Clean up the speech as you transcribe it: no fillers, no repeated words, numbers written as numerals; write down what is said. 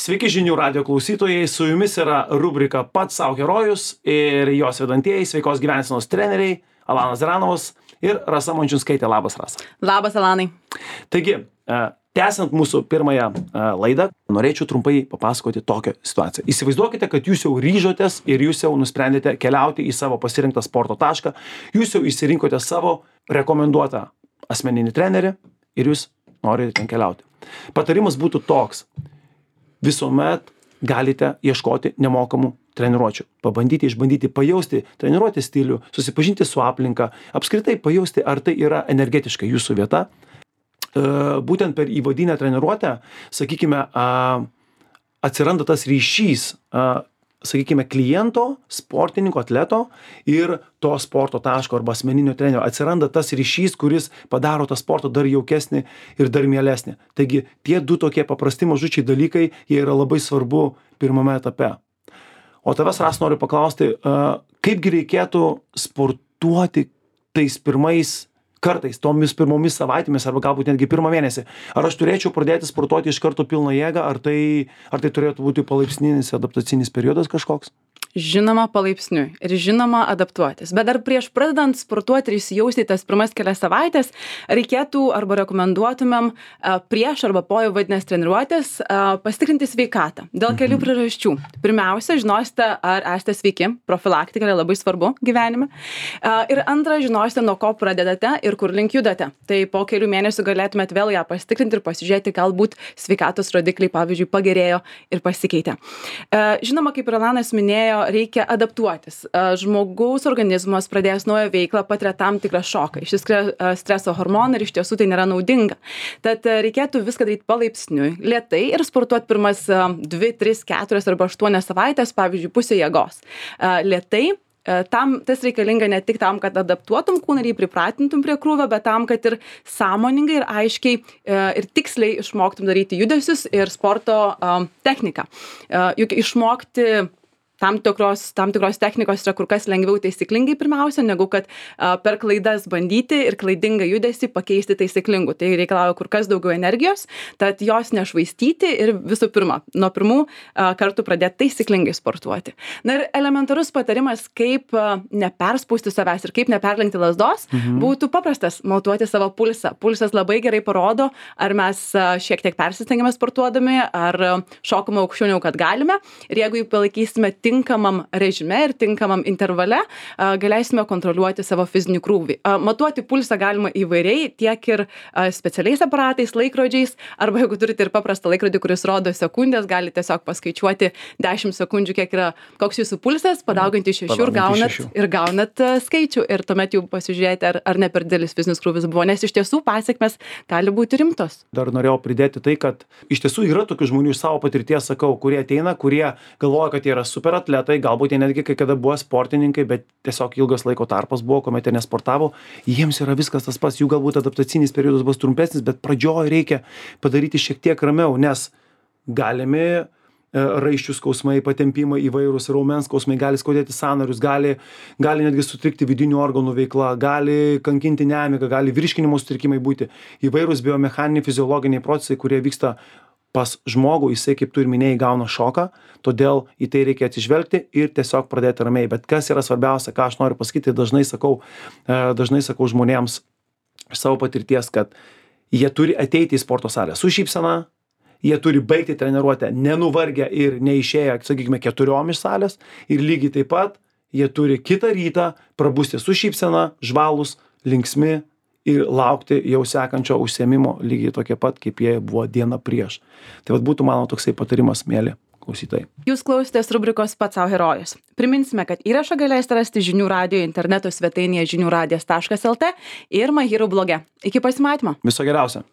Sveiki žinių radio klausytojai, su jumis yra rubrika Pats savo herojus ir jos vedantieji sveikos gyvensenos treneriai Alanas Zeranovas ir Rasa Mončinskaitė. Labas, Rasa. Labas, Alanai. Taigi, tęsiant mūsų pirmąją laidą, norėčiau trumpai papasakoti tokią situaciją. Įsivaizduokite, kad jūs jau ryžotės ir jūs jau nusprendėte keliauti į savo pasirinktą sporto tašką, jūs jau išsirinkote savo rekomenduotą asmeninį trenerį ir jūs norite ten keliauti. Patarimas būtų toks. Visuomet galite ieškoti nemokamų treniruočių. Pabandyti, išbandyti, pajausti treniruotės stilių, susipažinti su aplinka, apskritai pajausti, ar tai yra energetiškai jūsų vieta. Būtent per įvadinę treniruotę, sakykime, atsiranda tas ryšys, sakykime, kliento, sportininko, atleto ir to sporto taško arba asmeninio trenerio. Atsiranda tas ryšys, kuris padaro tą sportą dar jaukesnį ir dar mielesnį. Taigi tie du tokie paprasti mažučiai dalykai, jie yra labai svarbu pirmame etape. O tavęs, Ras, noriu paklausti, kaipgi reikėtų sportuoti tais pirmais kartais, tomis pirmomis savaitėmis arba galbūt netgi pirmą mėnesį. Ar aš turėčiau pradėti sportuoti iš karto pilną jėgą, ar tai turėtų būti palaipsninis adaptacinis periodas kažkoks? Žinoma, palaipsniui ir žinoma adaptuotis. Bet dar prieš pradedant sportuoti ir įsijausti tas pirmas kelias savaitės, reikėtų arba rekomenduotumėm prieš arba po įvadinės treniruotės pasitikrinti sveikatą. Dėl kelių priežasčių. Pirmiausia, žinosite, ar esate sveiki. Profilaktika yra labai svarbu gyvenime. Ir antra, žinosite, nuo ko pradedate ir kur link judate. Tai po kelių mėnesių galėtumėt vėl ją pasitikrinti ir pasižiūrėti, galbūt sveikatos rodikliai, pavyzdžiui, pagerėjo ir pasikeitė. Žinoma, kaip ir Alanas minėjo, reikia adaptuotis. Žmogaus organizmas pradėjęs naują veiklą patiria tam tikrą šoką. Išsiskiria streso hormonai ir iš tiesų tai nėra naudinga. Tad reikėtų viską daryti palaipsniui, lėtai ir sportuoti pirmas 2, 3, 4 arba 8 savaitės, pavyzdžiui, pusę jėgos. Lėtai. Tas reikalinga ne tik tam, kad adaptuotum kūną ir jį pripratintum prie krūvio, bet tam, kad ir sąmoningai ir aiškiai ir tiksliai išmoktum daryti judesius ir sporto techniką. Juk išmokti tam tikros technikos yra kur kas lengviau taisyklingai pirmiausia, negu kad per klaidas bandyti ir klaidingą judesį pakeisti taisyklingu. Tai reikalauja kur kas daugiau energijos, tad jos nešvaistyti ir visų pirma, nuo pirmų kartų pradėti taisyklingai sportuoti. Na ir elementarus patarimas, kaip neperspausti savęs ir kaip neperlenkti lazdos, būtų paprastas matuoti savo pulsą. Pulsas labai gerai parodo, ar mes šiek tiek persistengėme sportuodami, ar šokame aukščiau negu kad galime. Ir jeigu jį palaikysime tinkamam režime ir tinkamam intervale, galėsime kontroliuoti savo fizinį krūvį. Matuoti pulsą galima įvairiai, tiek ir specialiais aparatais, laikrodžiais, arba jeigu turite ir paprastą laikrodį, kuris rodo sekundės, galite tiesiog paskaičiuoti 10 sekundžių, koks jūsų pulsas, padauginti iš 6 ir gaunat skaičių. Ir tuomet jau pasižiūrėti, ar ne per didelis fizinis krūvis buvo, nes iš tiesų pasekmės gali būti rimtos. Dar norėjau pridėti tai, kad iš tiesų yra tokių žmonių iš savo patirties, sakau, kurie ateina, kurie galvoja, kad jie yra super atletai, galbūt jie netgi kai kada buvo sportininkai, bet tiesiog ilgas laiko tarpas buvo, kuomet jie nesportavo, jiems yra viskas tas pats, jų galbūt adaptacinis periodas bus trumpesnis, bet pradžioje reikia padaryti šiek tiek ramiau, nes galimi raiščių skausmai, patempimai įvairūs, raumens skausmai, gali skaudėti sąnarius, gali netgi sutrikti vidinių organų veikla, gali kankinti nemigą, gali virškinimo sutrikimai būti, įvairūs biomechaniniai, fiziologiniai procesai, kurie vyksta pas žmogų, jisai, kaip tu ir minėjai, gauna šoką, todėl į tai reikia atsižvelgti ir tiesiog pradėti ramiai. Bet kas yra svarbiausia, ką aš noriu pasakyti, dažnai sakau žmonėms iš savo patirties, kad jie turi ateiti į sporto salę su šypsena, jie turi baigti treniruotę nenuvargę ir neišėję, sakykime, 4 iš salės ir lygiai taip pat jie turi kitą rytą prabusti su šypsena, žvalūs, linksmi ir laukti jau sekančio užsiėmimo lygiai tokie pat, kaip jie buvo dieną prieš. Tai vat būtų mano toksai patarimas, mėly klausytojai. Jūs klausėtės rubrikos Pats savo herojus. Priminsime, kad įrašą galėsite rasti žinių radijo interneto svetainėje žiniųradijas.lt ir My Hero bloge. Iki pasimatymo. Viso geriausio.